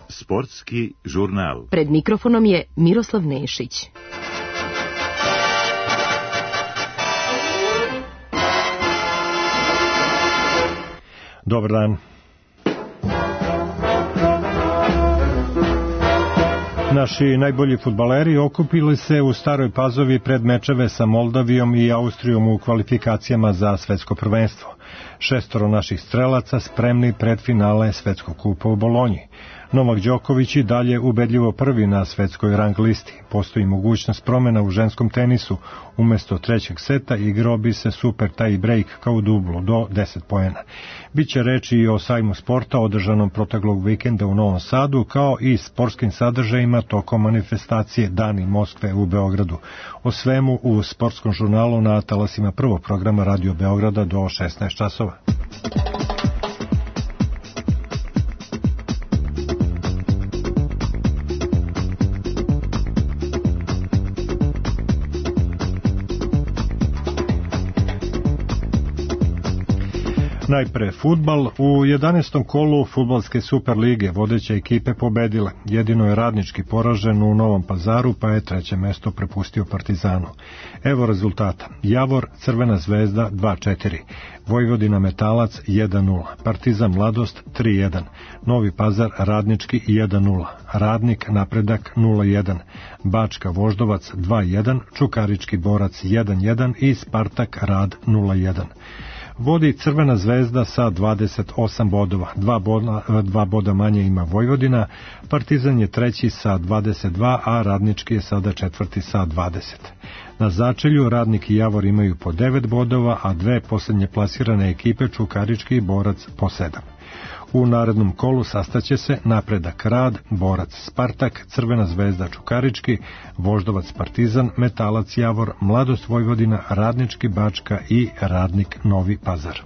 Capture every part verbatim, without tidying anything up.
Sportski žurnal. Pred mikrofonom je Miroslav Nešić. Dobar dan. Naši najbolji fudbaleri okupili se u Staroj Pazovi pred mečeve sa Moldavijom i Austrijom u kvalifikacijama za svetsko prvenstvo. Šestoro naših strelaca spremni pred finale Svetskog kupa u Bolonji. Novak Đoković i dalje ubedljivo prvi na svetskoj rang listi. Postoji mogućnost promjena u ženskom tenisu. Umesto trećeg seta igrao bi se super tie break kao u dublu do deset poena. Biće reči i o sajmu sporta održanom proteklog vikenda u Novom Sadu, kao i sportskim sadržajima tokom manifestacije Dani Moskve u Beogradu. O svemu u sportskom žurnalu na talasima prvog programa Radio Beograda do šesnaest časova. Najpre fudbal. U jedanaestom kolu fudbalske Super lige vodeće ekipe pobedile. Jedino je Radnički poražen u Novom Pazaru, pa je treće mesto prepustio Partizanu. Evo rezultata. Javor Crvena zvezda dva četiri, Vojvodina Metalac jedan nula, Partizan Mladost tri jedan, Novi Pazar Radnički jedan nula, Radnik Napredak nula jedan, Bačka Voždovac dva jedan, Čukarički Borac jedan jedan i Spartak Rad nula jedan. Vodi Crvena zvezda sa dvadeset osam bodova, dva boda, dva boda manje ima Vojvodina, Partizan je treći sa dvadeset dva, a Radnički je sada četvrti sa dvadeset. Na začelju Radnik i Javor imaju po devet bodova, a dve posljednje plasirane ekipe Čukarički i Borac po sedam. U narednom kolu sastaće se Napredak Rad, Borac Spartak, Crvena zvezda Čukarički, Voždovac Partizan, Metalac Javor, Mladost Vojvodina, Radnički Bačka i Radnik Novi Pazar.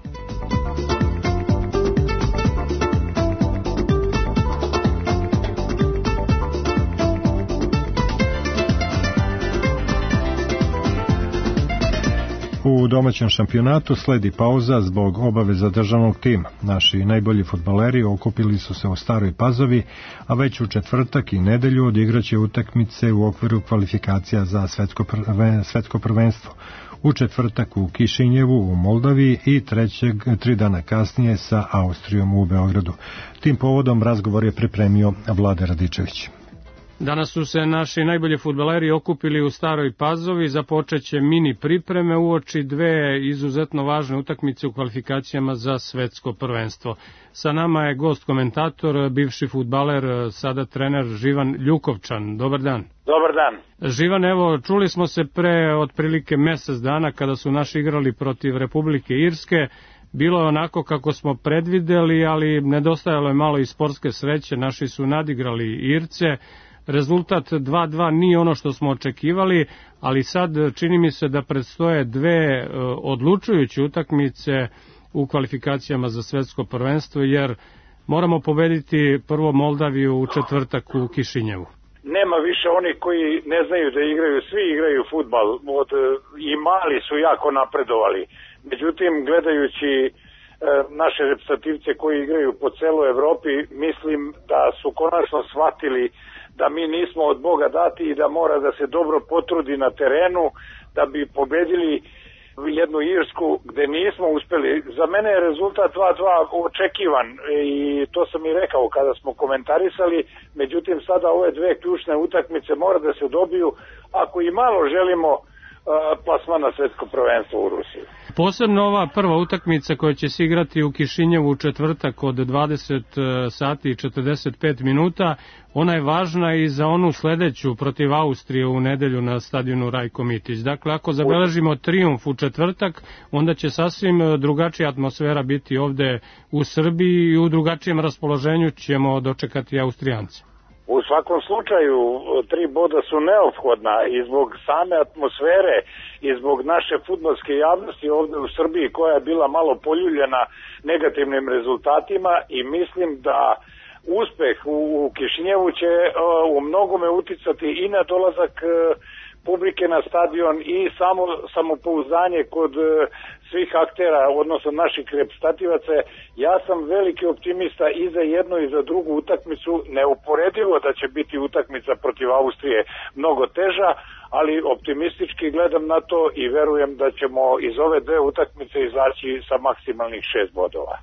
U domaćem šampionatu sledi pauza zbog obaveza državnog tima. Naši najbolji fudbaleri okupili su se u Staroj Pazovi, a već u četvrtak i nedelju odigraće utakmice u okviru kvalifikacija za svetsko, prven, svetsko prvenstvo. U četvrtak u Kišinjevu u Moldaviji i trećeg, tri dana kasnije sa Austrijom u Beogradu. Tim povodom razgovor je pripremio Vlade Radičević. Danas su se naši najbolji fudbaleri okupili u Staroj Pazovi, započeće mini pripreme uoči dve izuzetno važne utakmice u kvalifikacijama za svetsko prvenstvo. Sa nama je gost komentator, bivši fudbaler, sada trener Živan Ljukovčan. Dobar dan. Dobar dan. Živan, evo, čuli smo se pre otprilike mesec dana kada su naši igrali protiv Republike Irske. Bilo je onako kako smo predvideli, ali nedostajalo je malo i sportske sreće, naši su nadigrali Irce. Rezultat dva dva nije ono što smo očekivali, ali sad čini mi se da predstoje dve odlučujuće utakmice u kvalifikacijama za svetsko prvenstvo, jer moramo pobediti prvo Moldaviju u četvrtak u Kišinjevu. Nema više onih koji ne znaju da igraju, svi igraju fudbal, od, i mali su jako napredovali. Međutim, gledajući e, naše reprezentativce koji igraju po celoj Evropi, mislim da su konačno shvatili da mi nismo od Boga dati i da mora da se dobro potrudi na terenu da bi pobedili jednu Irsku gde nismo uspeli. Za mene je rezultat dva dva očekivan i to sam i rekao kada smo komentarisali, međutim sada ove dve ključne utakmice mora da se dobiju ako i malo želimo plasman na svetsko prvenstvo u Rusiji. Posebno ova prva utakmica koja će se igrati u Kišinjevu u četvrtak od dvadeset sati i četrdeset pet minuta, ona je važna i za onu sledeću protiv Austrije u nedelju na stadionu Rajko Mitić. Dakle, ako zabeležimo trijumf u četvrtak, onda će sasvim drugačija atmosfera biti ovde u Srbiji i u drugačijem raspoloženju ćemo dočekati Austrijance. U svakom slučaju, tri boda su neophodna i zbog same atmosfere i zbog naše fudbalske javnosti ovde u Srbiji koja je bila malo poljuljena negativnim rezultatima i mislim da uspeh u Kišinjevu će u mnogome uticati i na dolazak publike na stadion i samo samopouzdanje kod svih aktera, odnosno naših reprezentativaca. Ja sam veliki optimista i za jednu i za drugu utakmicu, neuporedivo da će biti utakmica protiv Austrije mnogo teža, ali optimistički gledam na to i verujem da ćemo iz ove dve utakmice izaći sa maksimalnih šest bodova.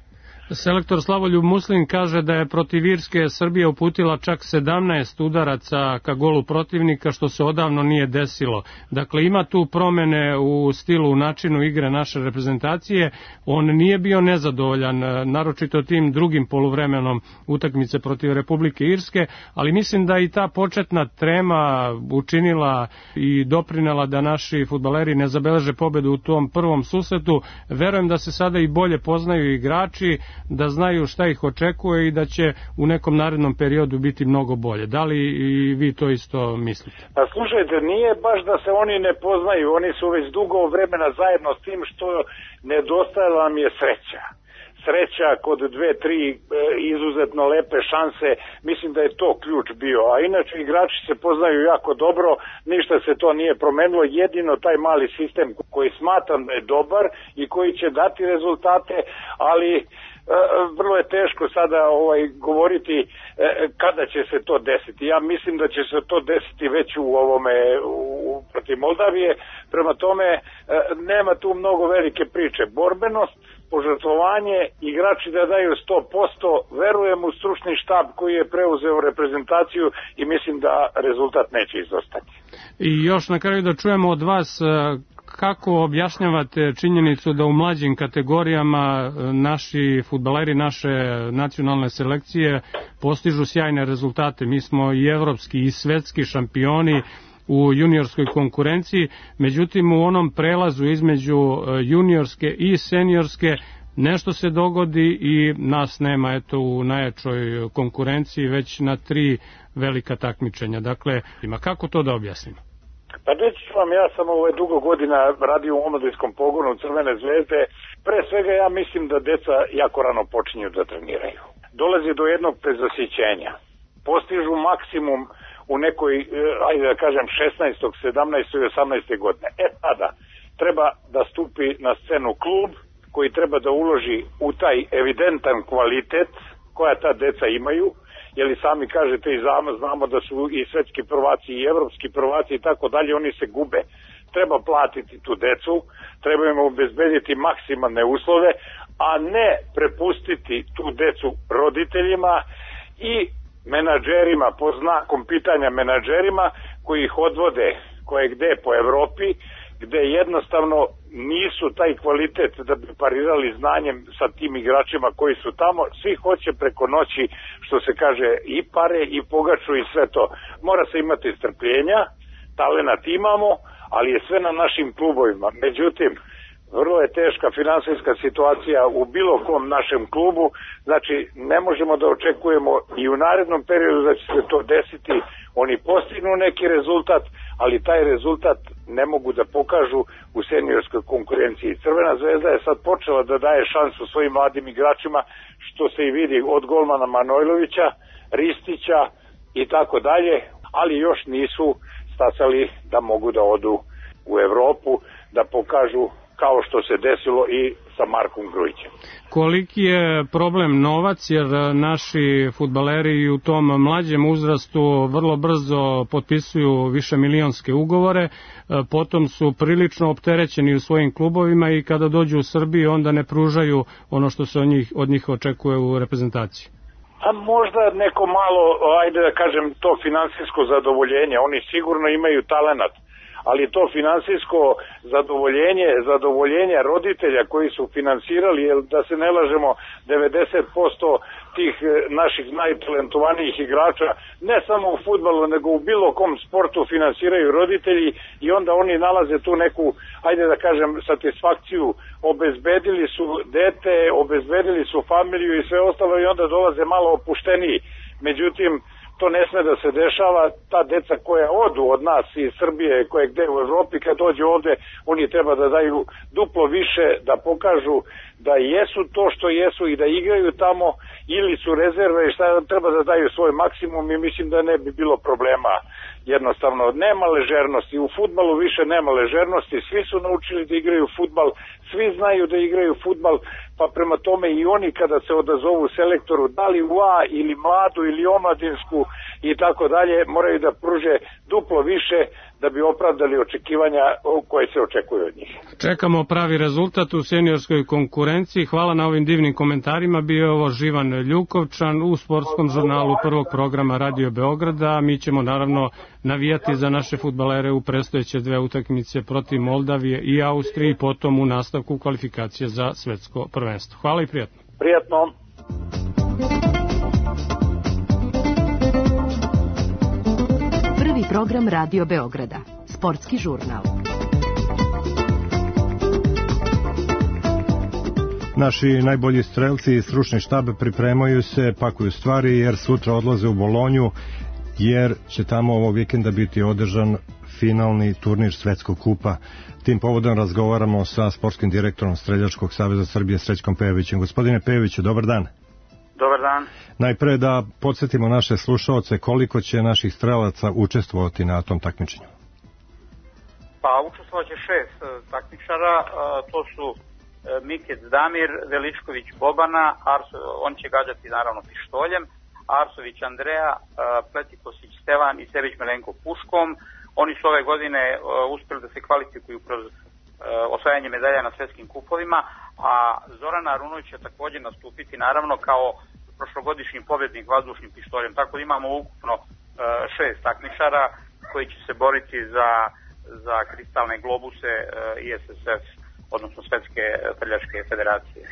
Selektor Slavoljub Muslin kaže da je protiv Irske Srbija uputila čak sedamnaest udaraca ka golu protivnika, što se odavno nije desilo. Dakle, ima tu promene u stilu, u načinu igre naše reprezentacije. On nije bio nezadovoljan, naročito tim drugim poluvremenom utakmice protiv Republike Irske, ali mislim da i ta početna trema učinila i doprinela da naši fudbaleri ne zabeleže pobedu u tom prvom susretu. Verujem da se sada i bolje poznaju igrači, da znaju šta ih očekuje i da će u nekom narednom periodu biti mnogo bolje. Da li i vi to isto mislite? Pa slušajte, nije baš da se oni ne poznaju, oni su već dugo vremena zajedno, s tim što nedostajala nam je sreća. Sreća kod dve, tri e, izuzetno lepe šanse, mislim da je to ključ bio, a inače igrači se poznaju jako dobro, ništa se to nije promenilo, jedino taj mali sistem koji smatram da je dobar i koji će dati rezultate, ali vrlo je teško sada ovaj govoriti e, kada će se to desiti. Ja mislim da će se to desiti već u ovome u, protiv Moldavije. Prema tome e, nema tu mnogo velike priče. Borbenost, požrtvovanje, igrači da daju sto posto, verujem u stručni štab koji je preuzeo reprezentaciju i mislim da rezultat neće izostati. I još na kraju da čujemo od vas kako objašnjavate činjenicu da u mlađim kategorijama naši fudbaleri, naše nacionalne selekcije postižu sjajne rezultate. Mi smo i evropski i svetski šampioni u juniorskoj konkurenciji, međutim u onom prelazu između juniorske i seniorske nešto se dogodi i nas nema eto u najjačoj konkurenciji već na tri velika takmičenja. Dakle, ima kako to da objasnimo? Pa reći ću vam, ja sam ovaj dugo godina radio u omladinskom pogonu Crvene zvezde. Pre svega ja mislim da deca jako rano počinju da treniraju. Dolazi do jednog prezasićenja. Postižu maksimum u nekoj, ajde da kažem, šesnaestoj, sedamnaestoj i osamnaestoj godine. E tada treba da stupi na scenu klub koji treba da uloži u taj evidentan kvalitet koja ta deca imaju, jer i sami kažete i znamo da su i svetski prvaci i evropski prvaci i tako dalje, oni se gube. Treba platiti tu decu, treba im obezbediti maksimalne uslove, a ne prepustiti tu decu roditeljima i menadžerima, po znakom pitanja menadžerima koji ih odvode koje gde po Evropi, gde jednostavno nisu taj kvalitet da bi parirali znanjem sa tim igračima koji su tamo. Svi hoće preko noći, što se kaže, i pare i pogaču i sve to. Mora se imati strpljenja, talenat imamo, ali je sve na našim klubovima. Međutim, vrlo je teška finansijska situacija u bilo kom našem klubu, znači ne možemo da očekujemo i u narednom periodu da će se to desiti. Oni postignu neki rezultat, ali taj rezultat ne mogu da pokažu u seniorskoj konkurenciji. Crvena zvezda je sad počela da daje šansu svojim mladim igračima, što se i vidi od golmana Manojlovića, Ristića i tako dalje, ali još nisu stasali da mogu da odu u Evropu, da pokažu kao što se desilo i sa Markom Grujićem. Koliki je problem novac, jer naši fudbaleri u tom mlađem uzrastu vrlo brzo potpisuju više milionske ugovore, potom su prilično opterećeni u svojim klubovima i kada dođu u Srbiju onda ne pružaju ono što se od njih, od njih očekuje u reprezentaciji. A možda neko malo, ajde da kažem, to finansijsko zadovoljenje, oni sigurno imaju talenat, ali to finansijsko zadovoljenje, zadovoljenje roditelja koji su finansirali, jer da se ne lažemo, devedeset posto tih naših najtalentovanijih igrača, ne samo u fudbalu, nego u bilo kom sportu finansiraju roditelji i onda oni nalaze tu neku, ajde da kažem, satisfakciju, obezbedili su dete, obezbedili su familiju i sve ostalo i onda dolaze malo opušteniji. Međutim, to ne sme da se dešava, ta deca koja odu od nas iz Srbije, koje gde u Evropi, kad dođu ovde, oni treba da daju duplo više, da pokažu da jesu to što jesu i da igraju tamo, ili su rezerve i šta treba da daju svoj maksimum i mislim da ne bi bilo problema. jednostavno nema ležernosti, u fudbalu više nema ležernosti, svi su naučili da igraju fudbal, svi znaju da igraju fudbal, pa prema tome i oni kada se odazovu selektoru, da li u A ili mladu ili omladinsku i tako dalje, moraju da pruže duplo više da bi opravdali očekivanja koje se očekuju od njih. Čekamo pravi rezultat u seniorskoj konkurenciji. Hvala na ovim divnim komentarima. Bio je ovo Živan Ljukovčan u sportskom žurnalu prvog programa Radio Beograda. Mi ćemo naravno navijati za naše fudbalere u predstojeće dve utakmice protiv Moldavije i Austrije i potom u nastavku kvalifikacije za svetsko prvenstvo. Hvala i prijatno. Prijatno. Prvi program Radio Beograda. Sportski žurnal. Naši najbolji strelci i stručni štab pripremaju se, pakuju stvari jer sutra odlaze u Bolonju, jer će tamo ovog vikenda biti održan finalni turnir Svetskog kupa. Tim povodom razgovaramo sa sportskim direktorom Streljačkog saveza Srbije Srećkom Pejovićem. Gospodine Pejoviću, dobar dan. Dobar dan. Najpre da podsjetimo naše slušaoce koliko će naših strelaca učestvovati na tom takmičenju. Pa učestvovat će šest takmičara, to su Mikec Damir, Veličković Bobana, Arso, on će gađati naravno pištoljem, Arsović Andreja, Pletikosić Stevan i Sević Melenko puškom. Oni su ove godine uspjeli da se kvalifikuju kroz osvajanje medalja na svetskim kupovima, a Zoran Arunović će također nastupiti naravno kao prošlogodišnji pobjednik vazdušnim pištoljem. Tako da imamo ukupno šest takmičara koji će se boriti za, za kristalne globuse I S S F, odnosno Svetske streljačke federacije.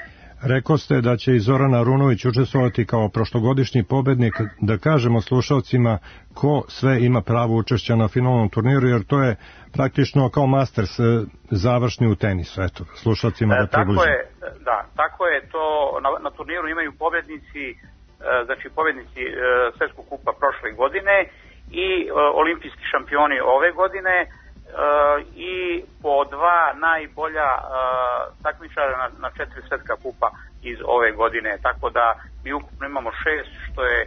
Rekao ste da će i Zoran Arunović učestvovati kao prošlogodišnji pobednik. Da kažemo slušalcima ko sve ima pravo učešća na finalnom turniru, jer to je praktično kao Masters završni u tenisu. Eto, slušalcima da približimo. Tako je, da, tako je to. Na, na turniru imaju pobednici, znači pobednici Svetskog kupa prošle godine i olimpijski šampioni ove godine, i po dva najbolja takmičara na, na četiri svetska kupa iz ove godine, tako da mi ukupno imamo šest, što je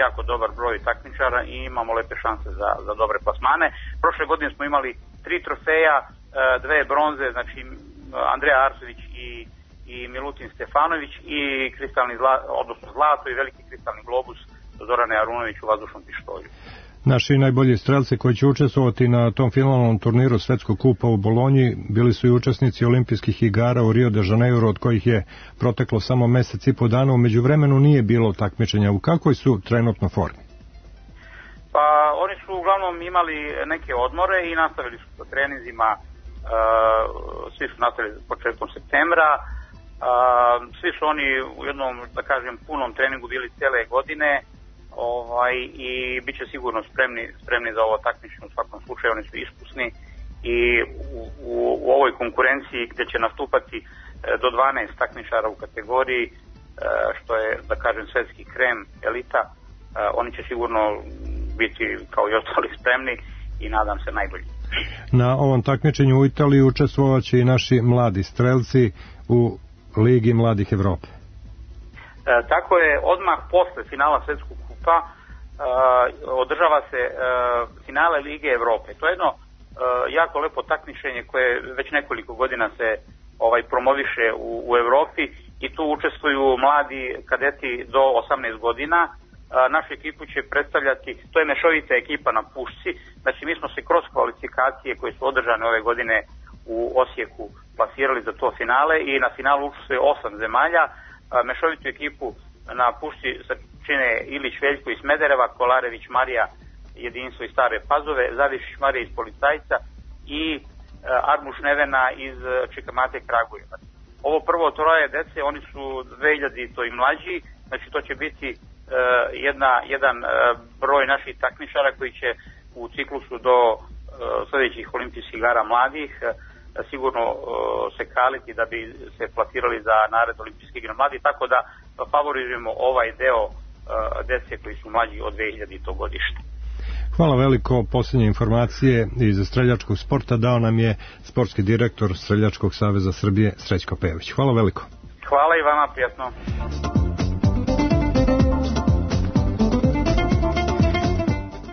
jako dobar broj takmičara i imamo lepe šanse za, za dobre plasmane. Prošle godine smo imali tri trofeja, dve bronze, znači Andreja Arsović i, i Milutin Stefanović i kristalni zla, odnosno zlato i veliki kristalni globus Zorane Arunović u vazdušnom pištolju. Naši najbolji strelci koji će učestvovati na tom finalnom turniru Svetskog kupa u Bolonji bili su i učesnici olimpijskih igara u Rio de Janeiro, od kojih je proteklo samo mesec i po dana. U međuvremenu nije bilo takmičenja. U kakvoj su trenutno formi? Pa oni su uglavnom imali neke odmore i nastavili su sa treninzima, uh, svi su nastavili početkom septembra, uh, svi su oni u jednom, da kažem, punom treningu bili cijele godine. Ovaj, i bit će sigurno spremni, spremni za ovo takmičenje. U svakom slučaju oni su iskusni i u, u, u ovoj konkurenciji gdje će nastupati e, do dvanaest takmičara u kategoriji, e, što je, da kažem, svetski krem, elita, e, oni će sigurno biti kao i ostali spremni i nadam se najbolji. Na ovom takmičenju u Italiji učestvovat će i naši mladi strelci u Ligi mladih Evrope. E, tako je, odmah posle finala svetskog kupa uh, održava se uh, finale Lige Evrope. To je jedno uh, jako lepo takmičenje koje već nekoliko godina se ovaj promoviše u, u Evropi i tu učestvuju mladi kadeti do osamnaest godina. Uh, našu ekipu će predstavljati, to je mešovita ekipa na pušci, znači mi smo se kroz kvalifikacije koje su održane ove godine u Osijeku plasirali za to finale i na finalu učestvuje osam zemalja. Mešovitu ekipu na pušci čine Ilić Veljko iz Smedereva, Kolarević Marija Jedinstvo iz Stare Pazove, Zavišić Marija iz Policajca i Armuš Nevena iz Čikamate Kragujevac. Ovo prvo troje dece, oni su dve hiljade i mlađi, znači to će biti uh, jedna, jedan uh, broj naših takmičara koji će u ciklusu do uh, sljedećih olimpijskih igara mladih uh, sigurno uh, se kaliti da bi se plasirali za nared olimpijskih igra mladih, tako da favorizujemo ovaj deo uh, dece koji su mlađi od dve hiljade godište. Hvala veliko. Posljednje informacije iz streljačkog sporta dao nam je sportski direktor Streljačkog saveza Srbije Srećko Pejović. Hvala veliko. Hvala i vama, prijatno.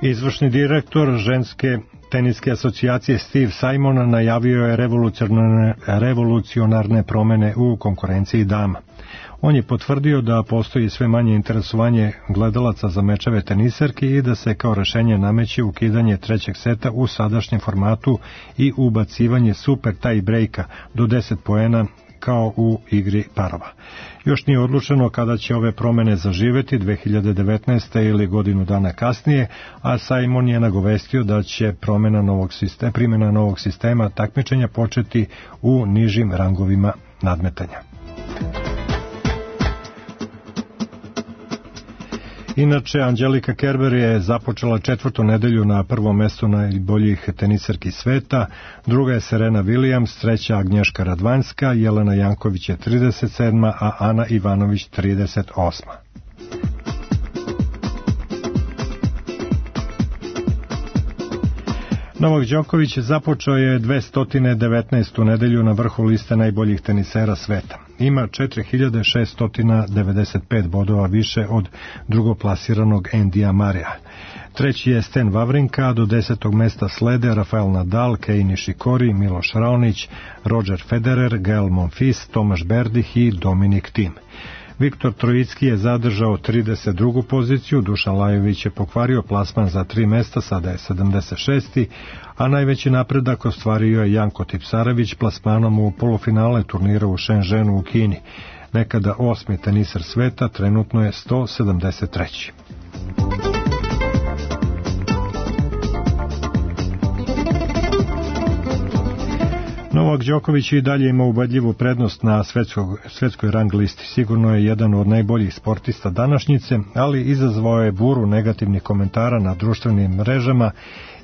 Izvršni direktor ženske teniske asocijacije Steve Simon najavio je revolucionarne, revolucionarne promene u konkurenciji dama. On je potvrdio da postoji sve manje interesovanje gledalaca za mečeve teniserki i da se kao rešenje nameće ukidanje trećeg seta u sadašnjem formatu i ubacivanje super tie breaka do deset poena kao u igri parova. Još nije odlučeno kada će ove promene zaživeti, dve hiljade devetnaeste. ili godinu dana kasnije, a Simon je nagovestio da će promjena novog sistema, primjena novog sistema takmičenja početi u nižim rangovima nadmetanja. Inače, Angelika Kerber je započela četvrtu nedelju na prvom mestu najboljih teniserki sveta, druga je Serena Williams, treća Agnješka Radvanjska, Jelena Janković je trideset sedma, a Ana Ivanović trideset osma. Novak Đoković započeo je dvesta devetnaestu nedelju na vrhu liste najboljih tenisera sveta. Ima četiri hiljade šeststo devedeset pet bodova više od drugoplasiranog Endija Marija. Treći je Sten Wawrinka, a do desetog mesta slede Rafael Nadal, Kei Nishikori, Miloš Raonić, Roger Federer, Gael Monfils, Tomaš Berdih i Dominik Thiem. Viktor Trojicki je zadržao trideset drugu poziciju, Dušan Lajović je pokvario plasman za tri mesta, sada je sedamdeset šesti. a najveći napredak ostvario je Janko Tipsarević plasmanom u polufinale turnira u Shenzhenu u Kini. Nekada osmi teniser sveta, trenutno je sto sedamdeset treći. Novak Đoković i dalje ima ubedljivu prednost na svetskog, svetskoj rang listi. Sigurno je jedan od najboljih sportista današnjice, ali izazvao je buru negativnih komentara na društvenim mrežama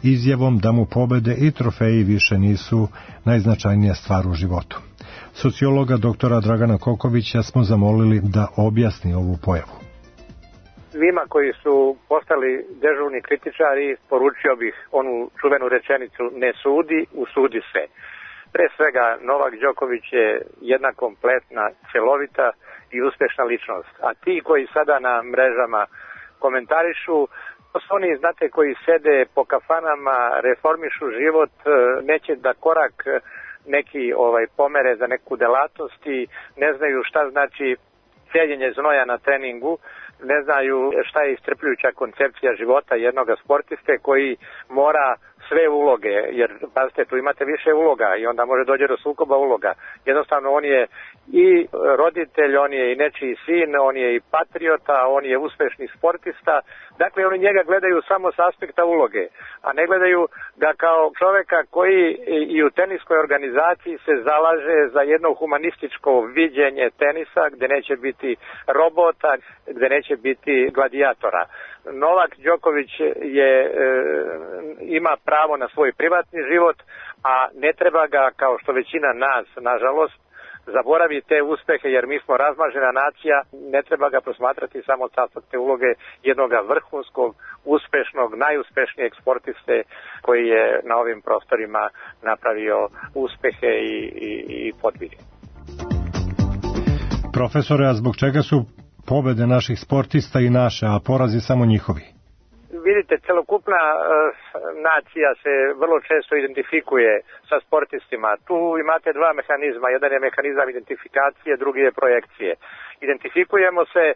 izjavom da mu pobede i trofeji više nisu najznačajnija stvar u životu. Sociologa doktora Dragana Kokovića smo zamolili da objasni ovu pojavu. Svima koji su postali dežurni kritičari poručio bih onu čuvenu rečenicu ne sudi, usudi se. Pre svega, Novak Đoković je jedna kompletna, celovita i uspešna ličnost. A ti koji sada na mrežama komentarišu, to su oni, znate, koji sede po kafanama, reformišu život, neće da korak neki ovaj pomere za neku delatnost i ne znaju šta znači celjenje znoja na treningu, ne znaju šta je iscrpljujuća koncepcija života jednog sportiste koji mora sve uloge, jer pazite, tu imate više uloga i onda može dođe do sukoba uloga. Jednostavno on je i roditelj, on je i nečiji sin, on je i patriota, on je uspešni sportista. Dakle, oni njega gledaju samo s aspekta uloge, a ne gledaju ga kao čoveka koji i u teniskoj organizaciji se zalaže za jedno humanističko viđenje tenisa, gde neće biti robota, gde neće biti gladijatora. Novak Đoković je, e, ima pravo na svoj privatni život, a ne treba ga, kao što većina nas, nažalost, zaboravi te uspehe, jer mi smo razmažena nacija, ne treba ga posmatrati samo od te uloge jednog vrhunskog, uspešnog, najuspešnijeg sportiste koji je na ovim prostorima napravio uspehe i, i, i podvige. Profesore, a zbog čega su pobede naših sportista i naše, a porazi samo njihovi? Vidite, celokupna e, nacija se vrlo često identifikuje sa sportistima. Tu imate dva mehanizma. Jedan je mehanizam identifikacije, drugi je projekcije. Identifikujemo se e,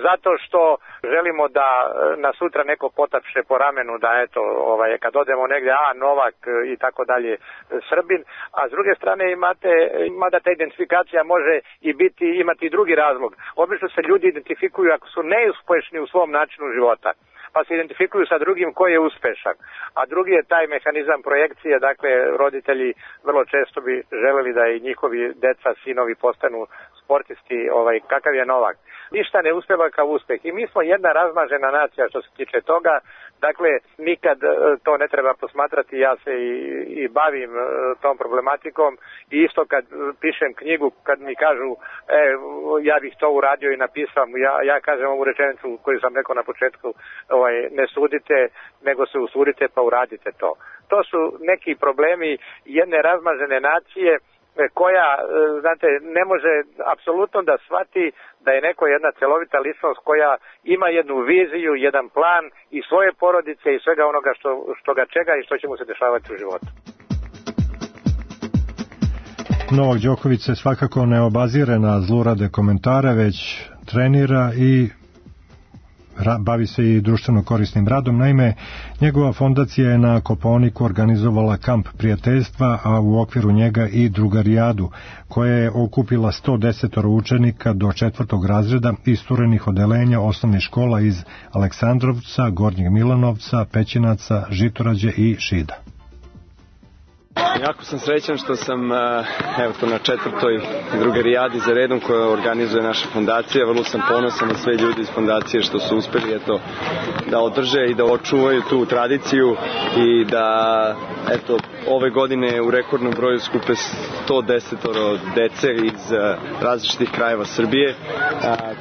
zato što želimo da e, na sutra neko potapše po ramenu, da eto, ovaj, kad odemo negdje, a Novak e, i tako dalje, e, Srbin. A s druge strane imate, mada ta identifikacija može i biti, imati i drugi razlog. Obično se ljudi identifikuju ako su neuspešni u svom načinu života, pa se identifikuju sa drugim koji je uspešan. A drugi je taj mehanizam projekcije, dakle roditelji vrlo često bi želeli da i njihovi deca, sinovi postanu sportisti, ovaj, kakav je Novak. Ništa ne uspeva kao uspeh. I mi smo jedna razmažena nacija što se tiče toga. Dakle, nikad to ne treba posmatrati, ja se i, i bavim tom problematikom i isto kad pišem knjigu, kad mi kažu e, ja bih to uradio i napisao, ja, ja kažem ovu rečenicu koju sam rekao na početku, ovaj, ne sudite, nego se usudite pa uradite to. To su neki problemi jedne razmažene nacije koja, znate, ne može apsolutno da shvati da je neko jedna celovita ličnost koja ima jednu viziju, jedan plan i svoje porodice i svega onoga što, što ga čega i što će mu se dešavati u životu. Novak Đoković se svakako ne obazire na zlurade komentare, već trenira i bavi se i društveno korisnim radom. Naime, njegova fondacija je na Kopaoniku organizovala kamp prijateljstva, a u okviru njega i drugarijadu, koja je okupila sto deset učenika do četvrtog razreda isturenih odelenja osnovnih škola iz Aleksandrovca, Gornjeg Milanovca, Pećinaca, Žitorađe i Šida. Jako sam srećan što sam evo to na četvrtoj drugarijadi za redom koja organizuje naša fondacija. Vrlo sam ponosan na sve ljudi iz fondacije što su uspeli eto, da održe i da očuvaju tu tradiciju i da eto, ove godine u rekordnom broju skupe sto deset dece iz različitih krajeva Srbije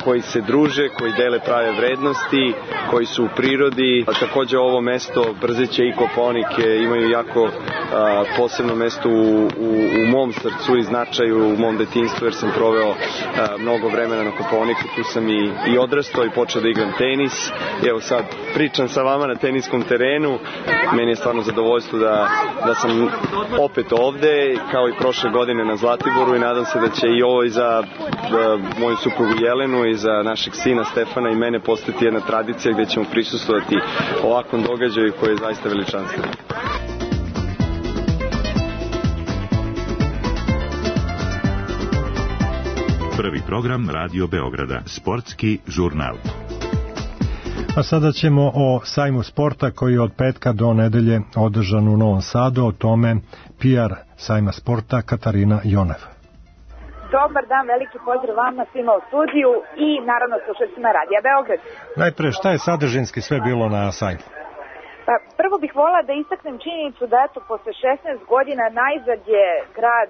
koji se druže, koji dele prave vrednosti, koji su u prirodi. Takođe ovo mesto Brzeće i Kopaonik imaju jako posebno mesto u, u, u mom srcu i značaju, u mom detinjstvu, jer sam proveo a, mnogo vremena na Kopaoniku, tu sam i, i odrastao i počeo da igram tenis. I evo sad pričam sa vama na teniskom terenu. Meni je stvarno zadovoljstvo da, da sam opet ovde, kao i prošle godine na Zlatiboru, i nadam se da će i ovo i za da, moju suprugu Jelenu i za našeg sina Stefana i mene postati jedna tradicija gde ćemo prisustvovati ovakvom događaju koji je zaista veličanstven. Prvi program Radio Beograda, sportski žurnal. A sada ćemo o sajmu sporta koji je od petka do nedelje održan u Novom Sadu, o tome P R sajma sporta Katarina Jonev. Dobar dan, veliki pozdrav vama svima u studiju i naravno slušateljima Radija Beograd. Najpre, šta je sadržinski sve bilo na sajmu? Pa, prvo bih volila da istaknem činjenicu da eto, posle šesnaest godina najzad je grad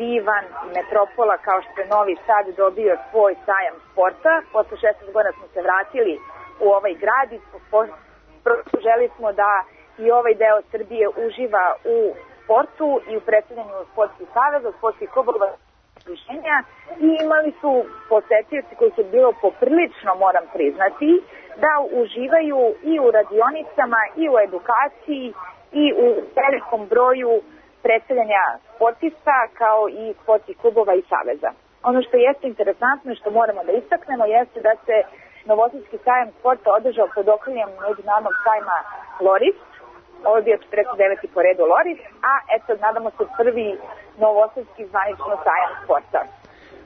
divan metropola kao što je Novi Sad dobio svoj sajam sporta. Posle šesnaest godina smo se vratili u ovaj grad i želi smo da i ovaj deo Srbije uživa u sportu i u predstavljanju sportskih saveza, sportskih klubova i imali su posetioci koji su bilo poprilično, moram priznati, da uživaju i u radionicama i u edukaciji i u velikom broju predstavljanja sportista kao i sportskih klubova i saveza. Ono što jeste interesantno i što moramo da istaknemo jeste da se Novosadski sajam sporta održao pod okriljem međunarodnog sajma Loris. Ovo je bio četrdeset deveti po redu Loris, a eto, nadamo se prvi novosadski zvanično sajam sporta.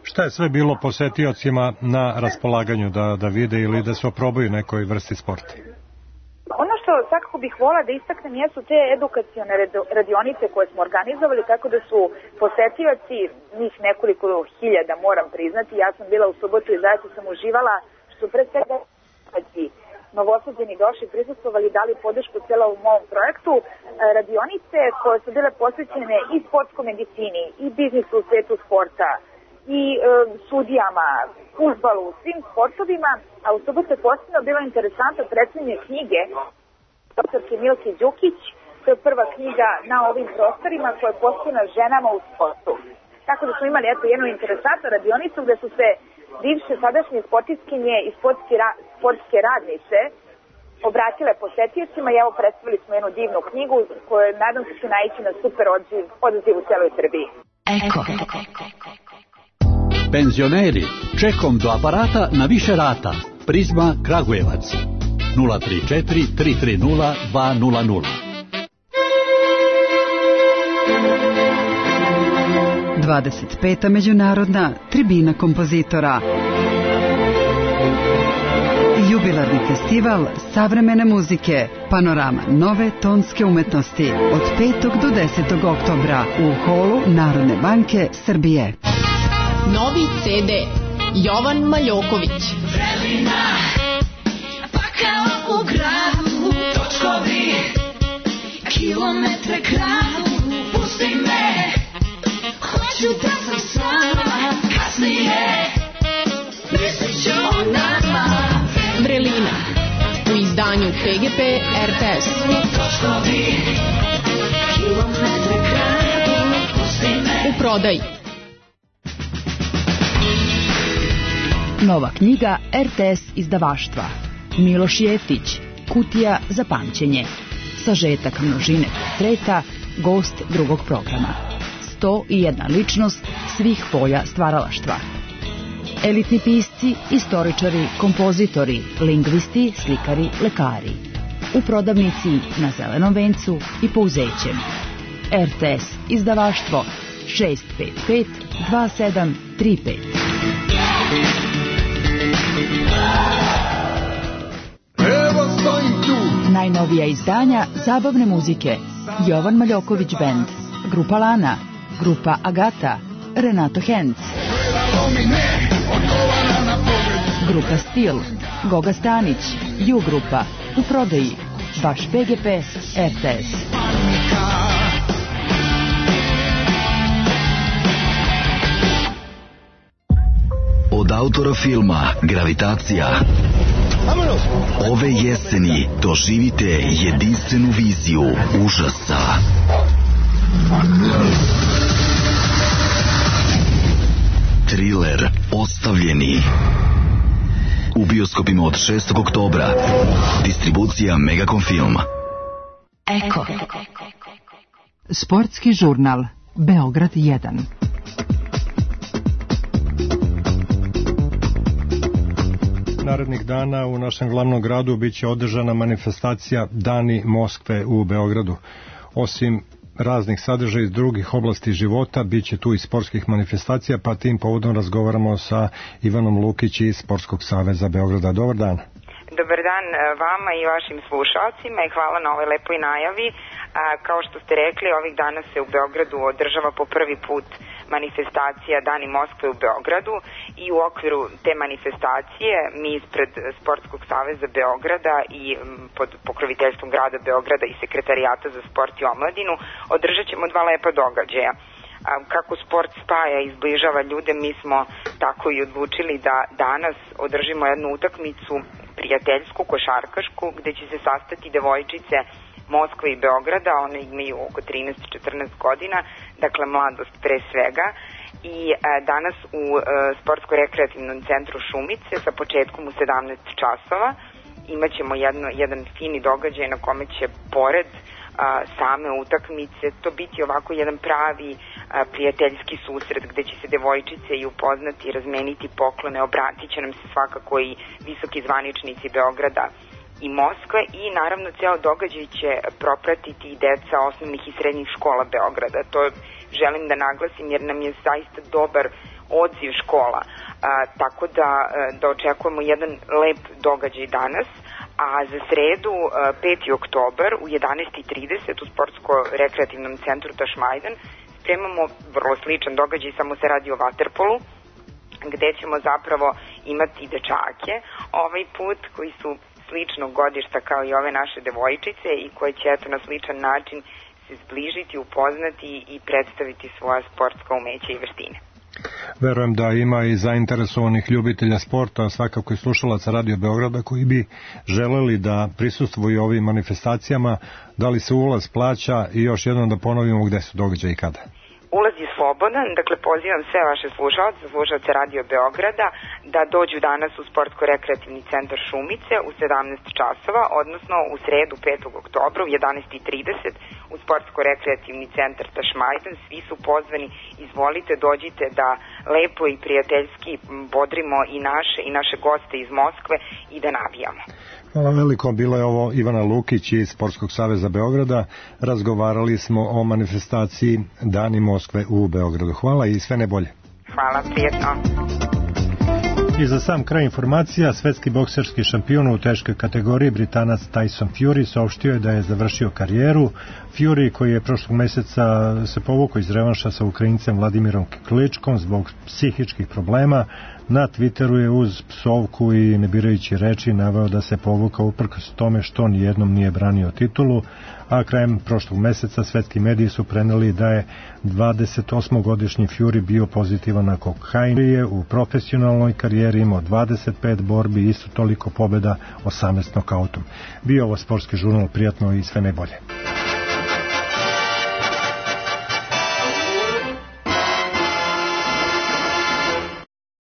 Šta je sve bilo posetiocima na raspolaganju da, da vide ili da se oprobaju nekoj vrsti sporta? Ono što svakako bih volila da istaknem jesu te edukacione radionice koje smo organizovali, tako da su posetioci, njih nekoliko hiljada moram priznati, ja sam bila u subotu i zaista sam uživala, što pre svega Novosađeni došli, prisustvovali, dali podršku celovom ovom projektu, radionice koje su bile posvećene i sportskoj medicini, i biznisu u svetu sporta, i e, sudijama, fudbalu, svim sportovima, a u subotu je posebno bilo interesantno predstavljanje knjige doktorke Milke Đukić, to je prva knjiga na ovim prostorima koja je posvećena ženama u sportu. Tako da smo imali eto jednu interesantnu radionicu gde su se bivše sadašnje sportistkinje i sportske, ra, sportske radnice obratile posetiocima i evo predstavili smo jednu divnu knjigu koju nadam se će naići na super odziv, odziv u celoj Srbiji. Eko. Penzioneri, čekom do aparata na više rata. Prizma Kragujevac. nula tri četiri tri tri nula dva nula nula. dvadeset peta međunarodna tribina kompozitora. Jubilarni festival savremene muzike, panorama nove tonske umetnosti od petog do desetog oktobra u holu Narodne banke Srbije. Novi ce de Jovan Maljoković. Vrelina, pa kao u gradu, točkovi, kilometre kradu, pusti me, hoću da sam sama, kasnije, mislit ću o nama. Vrelina, u izdanju pe ge pe er te es. Točkovi, kilometre kradu, pusti me. U kupoprodaji. Nova knjiga R T S izdavaštva. Miloš Jeftić, Kutija za pamćenje. Sažetak množine portreta, gost drugog programa. sto i jedna ličnost svih polja stvaralaštva. Elitni pisci, istoričari, kompozitori, lingvisti, slikari, lekari. U prodavnici na Zelenom vencu i Pouzećem. R T S izdavaštvo šest pet pet dva sedam tri pet. Najnovija izdanja zabavne muzike. Jovan Maljoković Band, Grupa Lana, Grupa Agata, Renato Henc, Grupa Stil, Goga Stanić, Ju Grupa, u prodaji, vaš P G P, R T S. Od autora filma Gravitacija ove jeseni doživite jedinstvenu viziju užasa. Triler Ostavljeni. U bioskopima od šestog oktobra. Distribucija Megacom Film. Eko. Sportski žurnal Beograd jedan. Narednih dana u našem glavnom gradu biće održana manifestacija Dani Moskve u Beogradu. Osim raznih sadržaja iz drugih oblasti života, bit će tu i sportskih manifestacija, pa tim povodom razgovaramo sa Ivanom Lukić iz Sportskog saveza Beograda. Dobar dan. Dobar dan vama i vašim slušalcima i hvala na ovoj lepoj najavi. A, kao što ste rekli, ovih dana se u Beogradu održava po prvi put manifestacija Dani Moskve u Beogradu i u okviru te manifestacije mi ispred Sportskog saveza Beograda i pod pokroviteljstvom grada Beograda i Sekretarijata za sport i omladinu održat ćemo dva lepa događaja. Kako sport spaja i izbližava ljude, mi smo tako i odlučili da danas održimo jednu utakmicu prijateljsku, košarkašku, gde će se sastati devojčice Moskve i Beograda, one imaju oko trinaest četrnaest godina, dakle mladost pre svega, i e, danas u e, Sportsko-rekreativnom centru Šumice sa početkom u sedamnaest časova imaćemo jedno, jedan fini događaj na kome će pored a, same utakmice to biti ovako jedan pravi a, prijateljski susret gde će se devojčice i upoznati, razmeniti poklone, obratit će nam se svakako i visoki zvaničnici Beograda i Moskve i naravno ceo događaj će propratiti i deca osnovnih i srednjih škola Beograda. To želim da naglasim jer nam je zaista dobar odziv škola, a, tako da, da očekujemo jedan lep događaj danas, a za sredu peti oktobar u jedanaest i trideset u Sportsko-rekreativnom centru Tašmajdan spremamo vrlo sličan događaj, samo se radi o vaterpolu, gde ćemo zapravo imati dečake ovaj put koji su sličnog godišta kao i ove naše devojčice i koje će eto na sličan način se zbližiti, upoznati i predstaviti svoja sportska umeća i veštine. Verujem da ima i zainteresovanih ljubitelja sporta, svakako i slušalaca Radio Beograda koji bi želeli da prisustvuju ovim manifestacijama. Da li se ulaz plaća i još jednom da ponovimo gde su događaji i kada? Ulaz je slobodan, dakle pozivam sve vaše slušalce, slušalce Radio Beograda da dođu danas u Sportsko-rekreativni centar Šumice u sedamnaest časova, odnosno u sredu petog oktobra u jedanaest i trideset u Sportsko-rekreativni centar Tašmajdan. Svi su pozvani, izvolite, dođite da lepo i prijateljski bodrimo i naše i naše goste iz Moskve i da navijamo. Hvala veliko, bila je ovo Ivana Lukić iz Sportskog saveza Beograda. Razgovarali smo o manifestaciji Dani Moskve u Beogradu. Hvala i sve najbolje. Hvala, prijetno. I za sam kraj informacija, svetski bokserski šampion u teškoj kategoriji Britanac Tyson Fury saopštio je da je završio karijeru. Fury, koji je prošlog meseca se povukao iz revanša sa Ukrajincem Vladimirom Kličkom zbog psihičkih problema, na Twitteru je uz psovku i ne birajući reči naveo da se povukao uprkos tome što nijednom nije branio titulu, a krajem prošlog meseca svetski mediji su preneli da je dvadesetosmogodišnji Fury bio pozitivan na kokain. Je u profesionalnoj karijeri imao dvadeset pet borbi, isto toliko pobjeda, osamnaest nokautom. Bio ovo sportski žurnal, prijatno i sve najbolje.